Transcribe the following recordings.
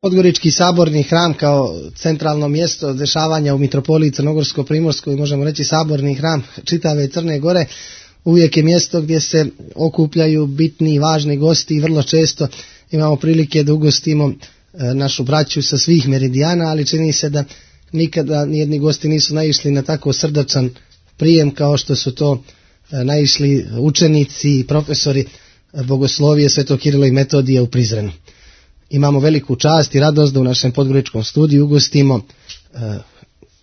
Podgorički saborni hram kao centralno mjesto dešavanja u mitropoliji Crnogorsko-primorskoj, možemo reći saborni hram čitave Crne Gore, uvijek je mjesto gdje se okupljaju bitni i važni gosti i vrlo često imamo prilike da ugostimo našu braću sa svih meridijana, ali čini se da nikada nijedni gosti nisu naišli na tako srdačan prijem kao što su to naišli učenici i profesori bogoslovije Svetog Kirila i Metodija u Prizrenu. Imamo veliku čast i radost da u našem podgoričkom studiju ugostimo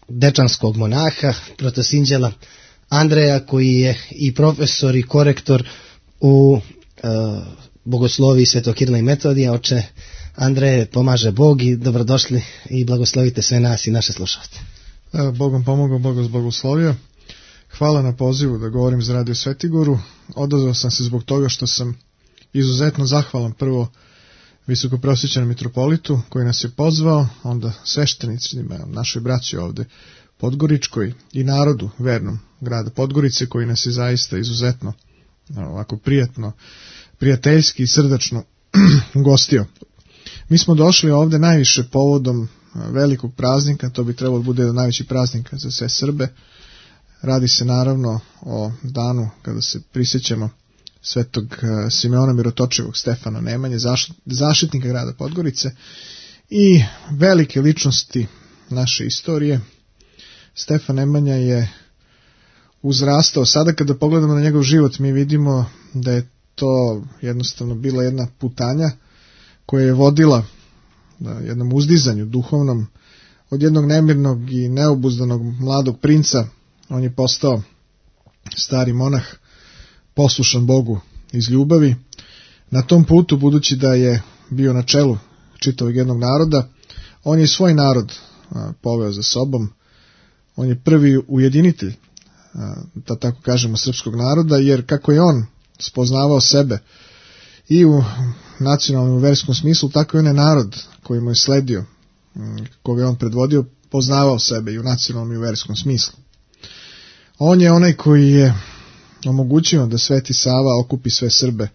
dečanskog monaha, protosinđela Andreja, koji je i profesor i korektor u bogosloviji Svetog Kirila i Metodija. Oče Andreje, pomaže Bog i dobrodošli i blagoslovite sve nas i naše slušalce. Bogom pomogao, Bog vas blagoslovio. Hvala na pozivu da govorim za Radio Svetigoru. Odazvao sam se zbog toga što sam izuzetno zahvalan prvo visokoprosvećenom mitropolitu koji nas je pozvao, onda sveštenicima, našoj braći ovde Podgoričkoj i narodu vernom grada Podgorice koji nas je zaista izuzetno ovako prijateljski i srdačno ugostio. Mi smo došli ovde najviše povodom velikog praznika, to bi trebalo bude jedan najveći praznik za sve Srbe. Radi se naravno o danu kada se prisjećamo Svetog Simeona Mirotočivog, Stefana Nemanje, zaštitnika grada Podgorice i velike ličnosti naše istorije. Stefan Nemanja je uzrastao. Sada kada pogledamo na njegov život, mi vidimo da je to jednostavno bila jedna putanja koja je vodila jednom uzdizanju duhovnom. Od jednog nemirnog i neobuzdanog mladog princa on je postao stari monah, poslušan Bogu iz ljubavi. Na tom putu, budući da je bio na čelu čitavog jednog naroda, on je svoj narod poveo za sobom. On je prvi ujedinitelj, da tako kažemo, srpskog naroda, jer kako je on spoznavao sebe i u nacionalnom i verskom smislu, tako i on je narod koji mu je sledio, koga je on predvodio, poznavao sebe i u nacionalnom i u verskom smislu. On je onaj koji je omogućio da Sveti Sava okupi sve Srbe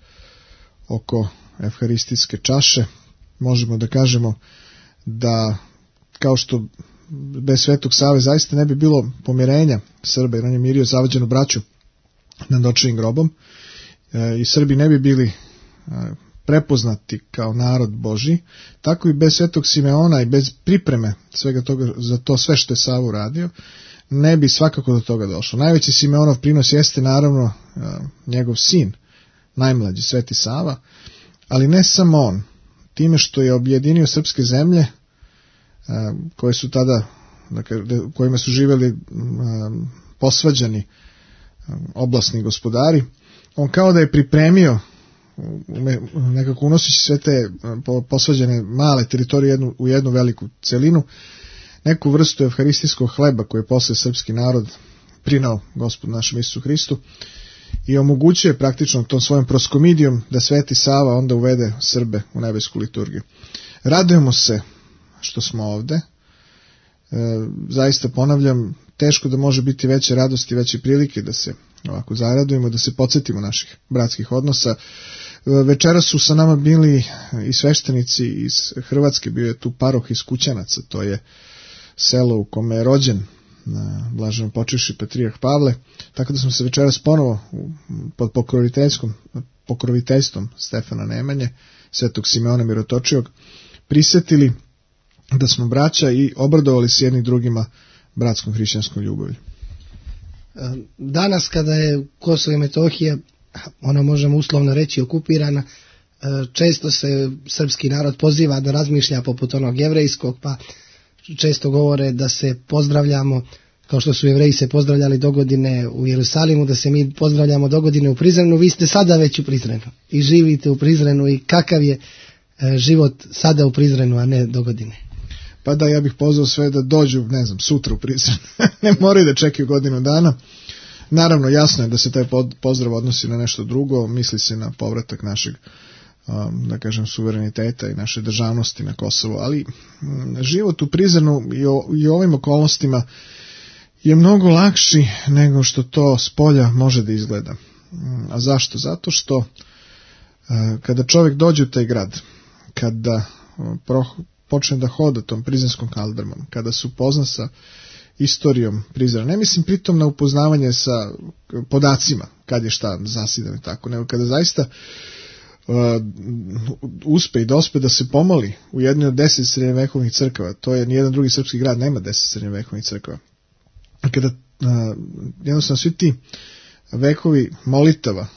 oko evharistijske čaše. Možemo da kažemo da kao što bez Svetog Save zaista ne bi bilo pomirenja Srba, jer on je mirio zavađenu braću nad očevim grobom i Srbi ne bi bili prepoznati kao narod Božji, tako i bez Svetog Simeona i bez pripreme svega toga za to sve što je Sava uradio, ne bi svakako do toga došlo. Najveći Simeonov prinos jeste naravno njegov sin, najmlađi Sveti Sava, ali ne samo on, time što je objedinio srpske zemlje koje su tada, kojima su živjeli posvađani oblasni gospodari, on kao da je pripremio, nekako unoseći sve te posvađane male teritorije u jednu veliku celinu, neku vrstu evharistijskog hleba koje je posle srpski narod prinao Gospodu našem Isusu Hristu i omogućuje praktično tom svojom proskomidijom da Sveti Sava onda uvede Srbe u nebesku liturgiju. Radujemo se što smo ovde. Zaista ponavljam, teško da može biti veće radosti, veće prilike da se ovako zaradujemo, da se podsjetimo naših bratskih odnosa. Večeras su sa nama bili i sveštenici iz Hrvatske, bio je tu paroh iz Kućanaca, to je selo u kome je rođen blaženo počivši Patrijarh Pavle, tako da smo se večeras ponovo pod pokroviteljstvom Stefana Nemanje, Svetog Simeona Mirotočivog, prisjetili da smo braća i obradovali se jedni drugima bratskom hrišćanskom ljubavlju. Danas kada je Kosovo i Metohija, ono možemo uslovno reći, okupirana, često se srpski narod poziva da razmišlja poput onog jevrejskog, pa često govore da se pozdravljamo kao što su Jevreji se pozdravljali dogodine u Jerusalimu, da se mi pozdravljamo dogodine u Prizrenu. Vi ste sada već u Prizrenu i živite u Prizrenu, i kakav je život sada u Prizrenu, a ne dogodine? Pa da, ja bih pozvao sve da dođu, ne znam, sutra u Prizren. Ne moraju da čekaju godinu dana. Naravno, jasno je da se taj pozdrav odnosi na nešto drugo, misli se na povratak našeg, da kažem, suvereniteta i naše državnosti na Kosovo, ali život u Prizrenu i u ovim okolnostima je mnogo lakši nego što to s polja može da izgleda. A zašto? Zato što kada čovjek dođe u taj grad, kada počne da hoda tom Prizrenskom kaldrmom, kada se upozna sa istorijom Prizrena, ne mislim pritom na upoznavanje sa podacima, kad je šta zasidan i tako, nego kada zaista uspe i dospe da se pomoli u jednoj od 10 srednjevekovnih crkava, to je nijedan drugi srpski grad nema 10 srednjevekovnih crkava. Kada jednostavno svi ti vekovi molitava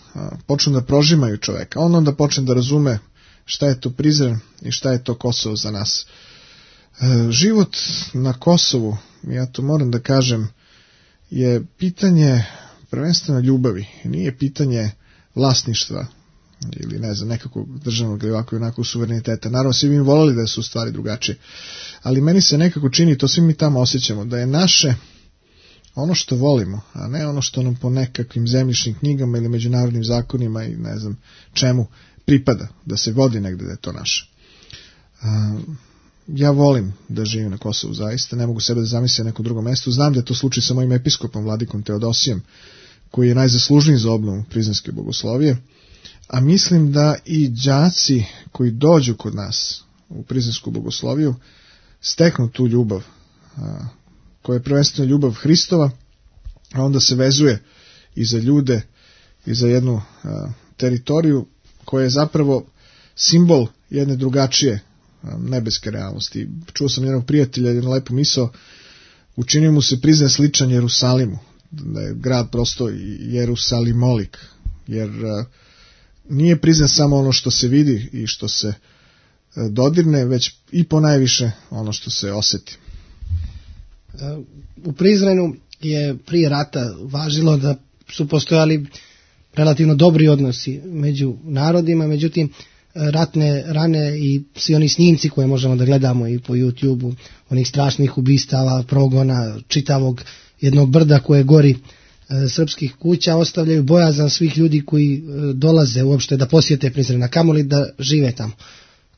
počnu da prožimaju čoveka, on onda počne da razume šta je to Prizren i šta je to Kosovo za nas. Život na Kosovu, ja to moram da kažem, je pitanje prvenstveno ljubavi, nije pitanje vlasništva ili ne znam, nekakvog državnog ili ovako i onako suvereniteta. Naravno, svi bi voleli da su stvari drugačije, ali meni se nekako čini, to svi mi tamo osjećamo, da je naše ono što volimo, a ne ono što nam po nekakvim zemljišnim knjigama ili međunarodnim zakonima i ne znam čemu pripada, da se vodi negde da je to naše. Ja volim da živim na Kosovu, zaista, ne mogu sebe da zamislim na nekom drugom mestu. Znam da je to slučaj sa mojim episkopom, vladikom Teodosijem, koji je najzaslužniji za obnovu Prizrenske bogoslovije, a mislim da i đaci koji dođu kod nas u Prizrensku bogosloviju steknu tu ljubav, koja je prvenstveno ljubav Hristova, a onda se vezuje i za ljude i za jednu teritoriju koja je zapravo simbol jedne drugačije nebeske realnosti. Čuo sam jednog prijatelja, jednu lepu misao, učinio mu se Prizren sličan Jerusalimu, da je grad prosto Jerusalimolik, jer nije Prizren samo ono što se vidi i što se dodirne, već i ponajviše ono što se osjeti. U Prizrenu je prije rata važilo da su postojali relativno dobri odnosi među narodima, međutim ratne rane i svi oni snimci koje možemo da gledamo i po YouTubeu, onih strašnih ubistava, progona, čitavog jednog brda koje gori srpskih kuća, ostavljaju bojazan svih ljudi koji dolaze uopšte da posjete Prizren, a kamoli da žive tamo.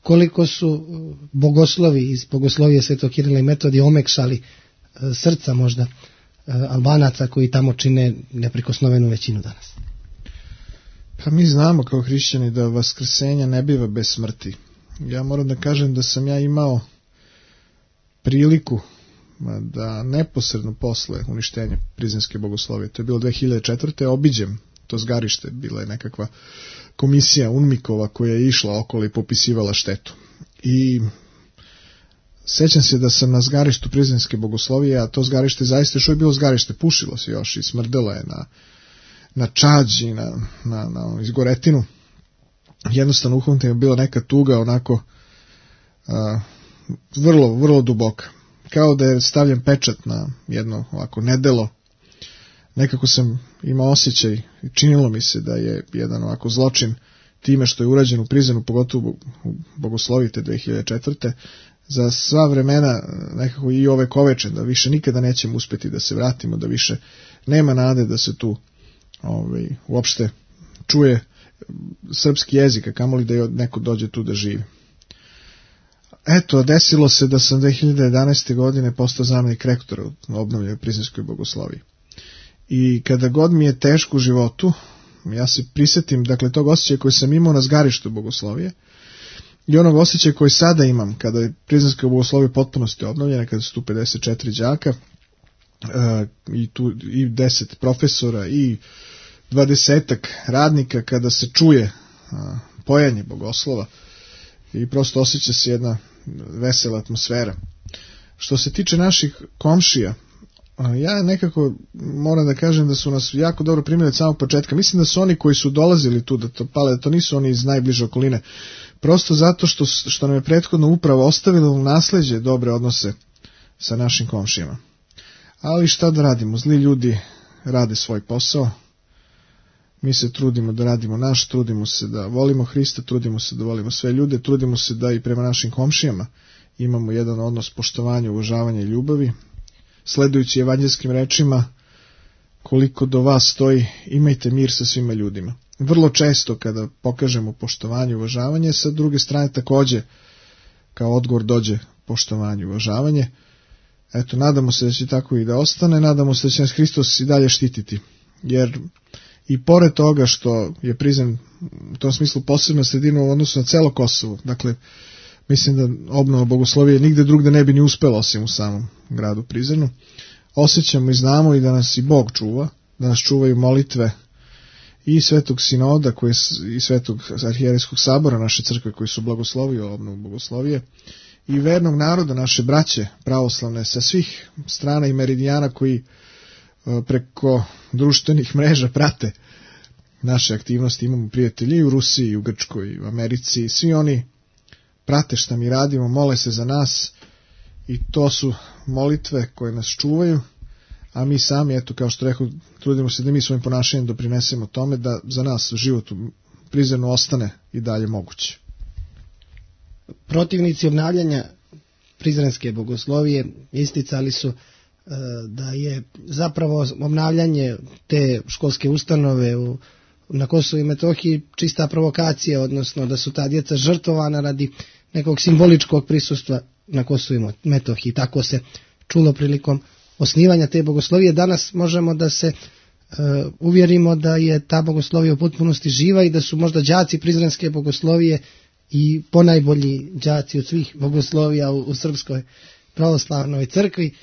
Koliko su bogoslovi iz bogoslovije Svetog Kirila i Metodija omekšali srca možda Albanaca koji tamo čine neprikosnovenu većinu danas. Pa mi znamo kao hrišćani da vaskrsenja ne biva bez smrti. Ja moram da kažem da sam ja imao priliku da neposredno posle uništenja Prizrenske bogoslovije, to je bilo 2004. obiđem to zgarište, bila je nekakva komisija UNMIK-ova koja je išla okolo i popisivala štetu. I sećam se da sam na zgarištu Prizrenske bogoslovije, a to zgarište zaista još je bilo zgarište, pušilo se još i smrdelo je na čađ i na izgoretinu. Jednostavno uhvatim je bila neka tuga onako vrlo, vrlo duboka. Kao da je stavljen pečat na jedno ovako nedelo. Nekako sam imao osjećaj, činilo mi se da je jedan ovako zločin time što je urađen u Prizrenu, pogotovo u bogosloviji te 2004. za sva vremena nekako i ovekovečen, da više nikada nećemo uspeti da se vratimo, da više nema nade da se tu uopšte čuje srpski jezik, a kamoli da neko dođe tu da živi. Eto, desilo se da sam 2011. godine postao zamenik rektora u obnovljenoj Prizrenskoj bogosloviji. I kada god mi je teško u životu, ja se prisjetim, dakle, tog osjećaja koji sam imao na zgarištu bogoslovije i onog osjećaja koji sada imam kada je Prizrenska bogoslovija potpunosti obnovljena, kada su tu 54 đaka i tu i 10 profesora i 20 radnika, kada se čuje pojanje bogoslova i prosto osjeća se jedna vesela atmosfera. Što se tiče naših komšija, ja nekako moram da kažem da su nas jako dobro primili od samog početka. Mislim da su oni koji su dolazili tu da to pale, da to nisu oni iz najbliže okoline. Prosto zato što nam je prethodno upravo ostavilo u nasleđe dobre odnose sa našim komšijama. Ali šta da radimo? Zli ljudi rade svoj posao. Mi se trudimo da radimo naš, trudimo se da volimo Hrista, trudimo se da volimo sve ljude, trudimo se da i prema našim komšijama imamo jedan odnos poštovanja, uvažavanja i ljubavi. Sledujući evanđelskim rečima, koliko do vas stoji, imajte mir sa svima ljudima. Vrlo često kada pokažemo poštovanje i uvažavanje, sa druge strane takođe kao odgovor dođe poštovanje i uvažavanje. Eto, nadamo se da će tako i da ostane, nadamo se da će nas Hristos i dalje štititi, jer i pored toga što je Prizren u tom smislu posebna sredina u odnosu na celo Kosovo, dakle, mislim da obnova bogoslovije nigde drugde ne bi ni uspela osim u samom gradu Prizrenu. Osjećamo i znamo i da nas i Bog čuva, da nas čuvaju molitve i Svetog Sinoda i Svetog arhijerejskog sabora naše crkve koji su blagoslovio obnovu bogoslovije i vernog naroda naše braće pravoslavne sa svih strana i meridijana koji preko društvenih mreža prate naše aktivnosti. Imamo prijatelji i u Rusiji, i u Grčkoj, i u Americi, svi oni prate šta mi radimo, mole se za nas i to su molitve koje nas čuvaju, a mi sami, eto, kao što rekao, trudimo se da mi svojim ponašanjem doprinesemo tome da za nas život u Prizrenu ostane i dalje moguće. Protivnici obnavljanja prizrenske bogoslovije isticali su da je zapravo obnavljanje te školske ustanove na Kosovu i Metohiji čista provokacija, odnosno da su ta djeca žrtvovana radi nekog simboličkog prisustva na Kosovu i Metohiji. Tako se čulo prilikom osnivanja te bogoslovije. Danas možemo da se uvjerimo da je ta bogoslovija u potpunosti živa i da su možda đaci prizrenske bogoslovije i ponajbolji đaci od svih bogoslovija u Srpskoj pravoslavnoj crkvi.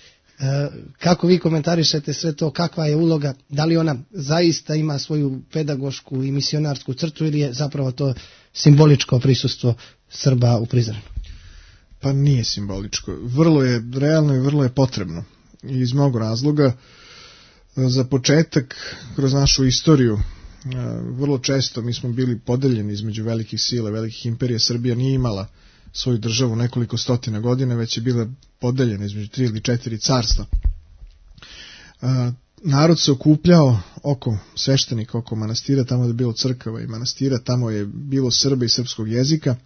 Kako vi komentarišete sve to, kakva je uloga, da li ona zaista ima svoju pedagošku i misionarsku crtu ili je zapravo to simboličko prisustvo Srba u Prizrenu? Pa nije simboličko, vrlo je realno i vrlo je potrebno i iz mnogo razloga. Za početak, kroz našu istoriju, vrlo često mi smo bili podeljeni između velikih sila, velikih imperija. Srbija nije imala svoju državu nekoliko stotina godina, već je bila podeljena između 3 ili 4 carstva. Narod se okupljao oko sveštenika, oko manastira, tamo je bilo crkava i manastira, tamo je bilo Srba i srpskog jezika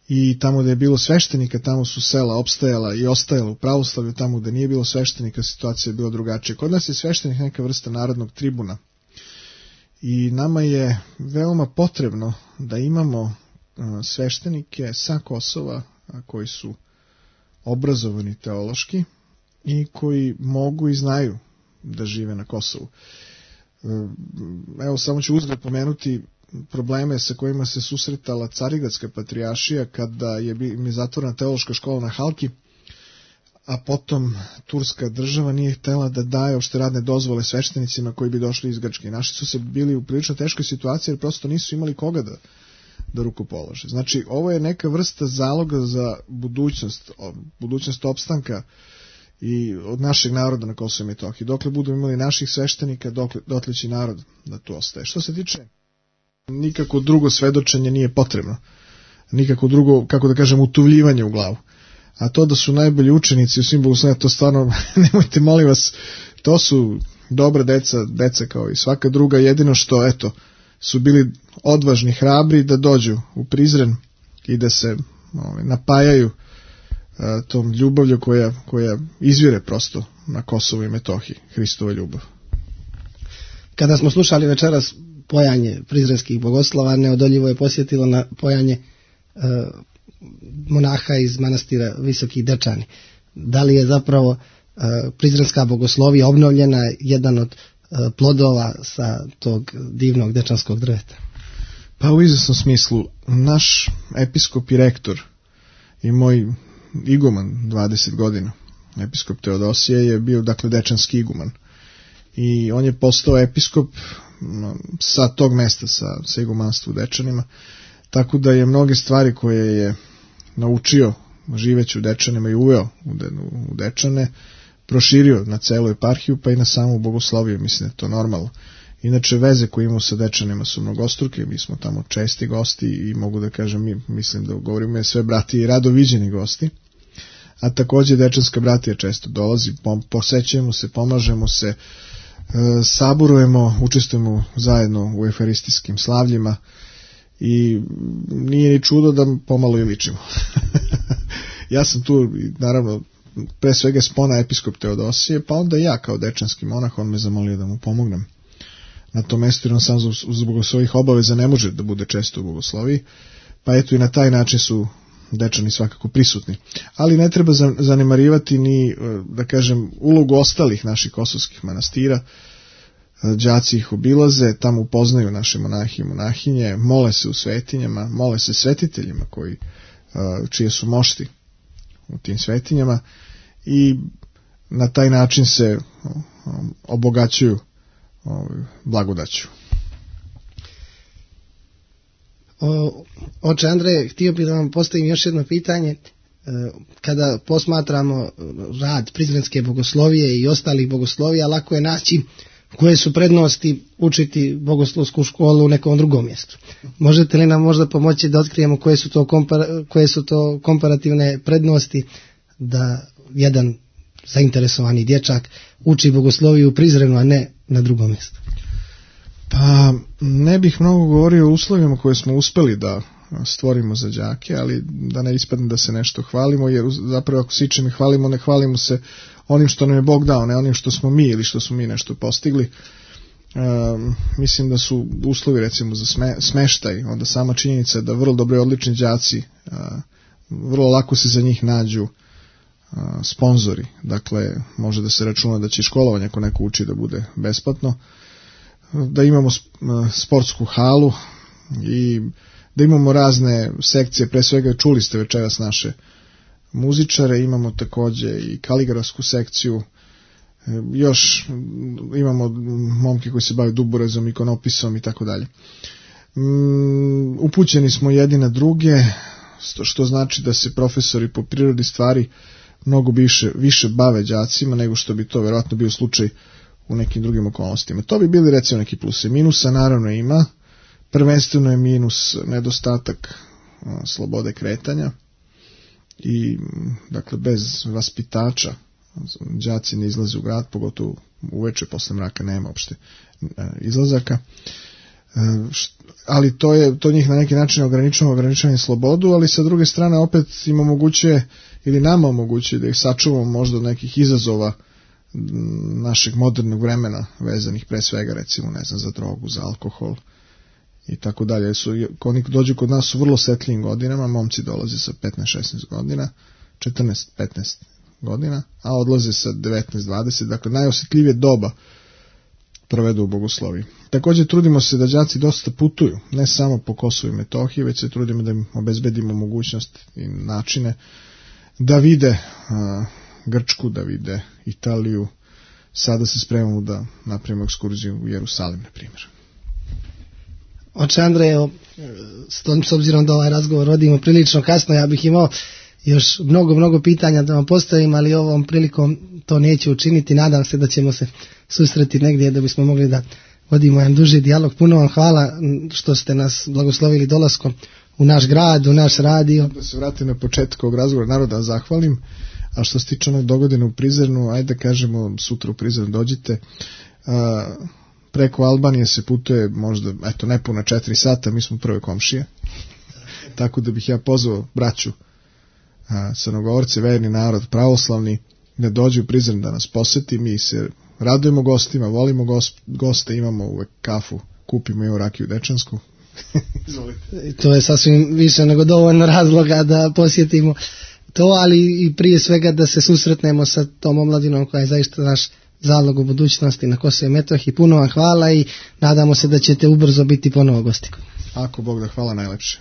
i tamo da je bilo sveštenika, tamo su sela opstajala i ostajala u pravoslavlju, tamo da nije bilo sveštenika situacija je bila drugačija. Kod nas je sveštenik neka vrsta narodnog tribuna i nama je veoma potrebno da imamo sveštenike sa Kosova koji su obrazovani teološki i koji mogu i znaju da žive na Kosovu. Evo, samo ću uzgled pomenuti probleme sa kojima se susretala Carigradska patrijaršija kada je zatvorena teološka škola na Halki, a potom turska država nije htela da daje uopšte radne dozvole sveštenicima koji bi došli iz Grčke. Naši su se bili u prilično teškoj situaciji jer prosto nisu imali koga da ruku polože. Znači, ovo je neka vrsta zaloga za budućnost opstanka i od našeg naroda na Kosovu i Metohiji. Dokle budemo imali naših sveštenika, dotle će narod da tu ostaje. Što se tiče, nikako drugo svedočenje nije potrebno. Nikako drugo, kako da kažem, utuvljivanje u glavu. A to da su najbolji učenici u svim bogoslovijama, to stvarno, nemojte, molim vas, to su dobra deca kao i svaka druga, jedino što, eto, su bili odvažni, hrabri da dođu u Prizren i da se napajaju tom ljubavlju koja izvire prosto na Kosovu i Metohiji, Hristova ljubav. Kada smo slušali večeras pojanje prizrenskih bogoslova, neodoljivo je posjetilo na pojanje monaha iz manastira Visoki Dečani. Da li je zapravo prizrenska bogoslovija obnovljena jedan od plodova sa tog divnog dečanskog drveta? Pa u izvesnom smislu, naš episkop i rektor i moj iguman 20 godina, episkop Teodosije, je bio dakle dečanski iguman i on je postao episkop sa tog mesta, sa igumanstva u Dečanima, tako da je mnoge stvari koje je naučio živeći u Dečanima i uveo u Dečane proširio na celu eparhiju pa i na samu bogosloviju. Mislim da je to normalno. Inače, veze koje imamo sa Dečanima su mnogostruke, mi smo tamo česti gosti i mogu da kažem, mislim da govorimo sve brati i rado viđeni gosti, a takođe dečanska bratija često dolazi, posećujemo se, pomažemo se, saborujemo, učestvujemo zajedno u euharistijskim slavljima i nije ni čudo da pomalo i ličimo. Ja sam tu, naravno, pre svega spona episkop Teodosije, pa onda ja kao dečanski monah, on me zamolio da mu pomognem na tom mestu, jer on sam zbog svojih obaveza ne može da bude često u bogosloviji, pa eto i na taj način su Dečani svakako prisutni. Ali ne treba zanemarivati ni, da kažem, ulogu ostalih naših kosovskih manastira. Đaci ih obilaze, tamo upoznaju naše monahi i monahinje, mole se u svetinjama, mole se svetiteljima koji čije su mošti u tim svetinjama i na taj način se obogaćuju blagodaću. Oče Andreje, htio bih da vam postavim još jedno pitanje. Kada posmatramo rad Prizrenske bogoslovije i ostalih bogoslovija, lako je naći koje su prednosti učiti bogoslovsku školu u nekom drugom mjestu. Možete li nam možda pomoći da otkrijemo koje su to komparativne prednosti da jedan zainteresovani dječak uči bogosloviju u Prizrenu, a ne na drugom mjestu? Pa ne bih mnogo govorio o uslovima koje smo uspeli da stvorimo za đake, ali da ne ispadne da se nešto hvalimo, jer zapravo ako se ičim hvalimo, ne hvalimo se onim što nam je Bog dao, ne onim što smo mi ili što smo mi nešto postigli. Mislim da su uslovi recimo za smeštaj, onda sama činjenica da vrlo dobro i odlični đaci, vrlo lako se za njih nađu sponzori, dakle može da se računa da će školovanje ako neko uči da bude besplatno, da imamo sportsku halu i da imamo razne sekcije, pre svega čuli ste večeras naše muzičare, imamo takođe i kaligrafsku sekciju, još imamo momke koji se bave duborezom, ikonopisom i tako dalje. Upućeni smo jedni na druge, što znači da se profesori po prirodi stvari mnogo više bave đacima nego što bi to verovatno bio slučaj u nekim drugim okolnostima. To bi bili recimo neki pluse. Minusa naravno ima, prvenstveno je minus nedostatak slobode kretanja i dakle bez vaspitača đaci ne izlaze u grad, pogotovo uveče posle mraka nema uopšte izlazaka, ali to njih na neki način ograničava slobodu, ali sa druge strane opet im omogućuje ili nama omogućuje da ih sačuvamo možda od nekih izazova našeg modernog vremena vezanih pre svega recimo za drogu, za alkohol i tako dalje. Oni dođu kod nas u vrlo setljivim godinama, momci dolaze sa 15-16 godina, 14-15 godina, a odlaze sa 19-20, dakle najosetljivije doba provedu u bogosloviji. Također trudimo se da đaci dosta putuju, ne samo po Kosovu i Metohiji, već se trudimo da im obezbedimo mogućnost i načine da vide Grčku, da vide Italiju. Sada se spremamo da napravimo ekskurziju u Jerusalim, na primjer. Oče Andreje, s obzirom da ovaj razgovor vodimo prilično kasno, ja bih imao još mnogo pitanja da vam postavim, ali ovom prilikom to neću učiniti. Nadam se da ćemo se susreti negdje da bismo mogli da vodimo jedan duži dijalog. Puno vam hvala što ste nas blagoslovili dolaskom u naš grad, u naš radio. Da se vratim na početak ovog razgovora, naroda zahvalim, a što se tiče onog dogodine u Prizrenu, ajde kažemo sutra u Prizren dođite. Preko Albanije se putuje možda, nepuna 4 sata, mi smo prve komšije, tako da bih ja pozvao braću Crnogorci, verni narod, pravoslavni, da dođu u Prizren da nas poseti. Mi se radujemo gostima, volimo goste, imamo uvek kafu, kupimo i rakiju dečansku. Izvolite. To je sasvim više nego dovoljno razloga da posjetimo to, ali i prije svega da se susretnemo sa tom omladinom koja je zaista naš zalog u budućnosti na Kosovu i Metohiji. Puno vam hvala i nadamo se da ćete ubrzo biti ponovo gosti. Ako Bog da, hvala najlepše.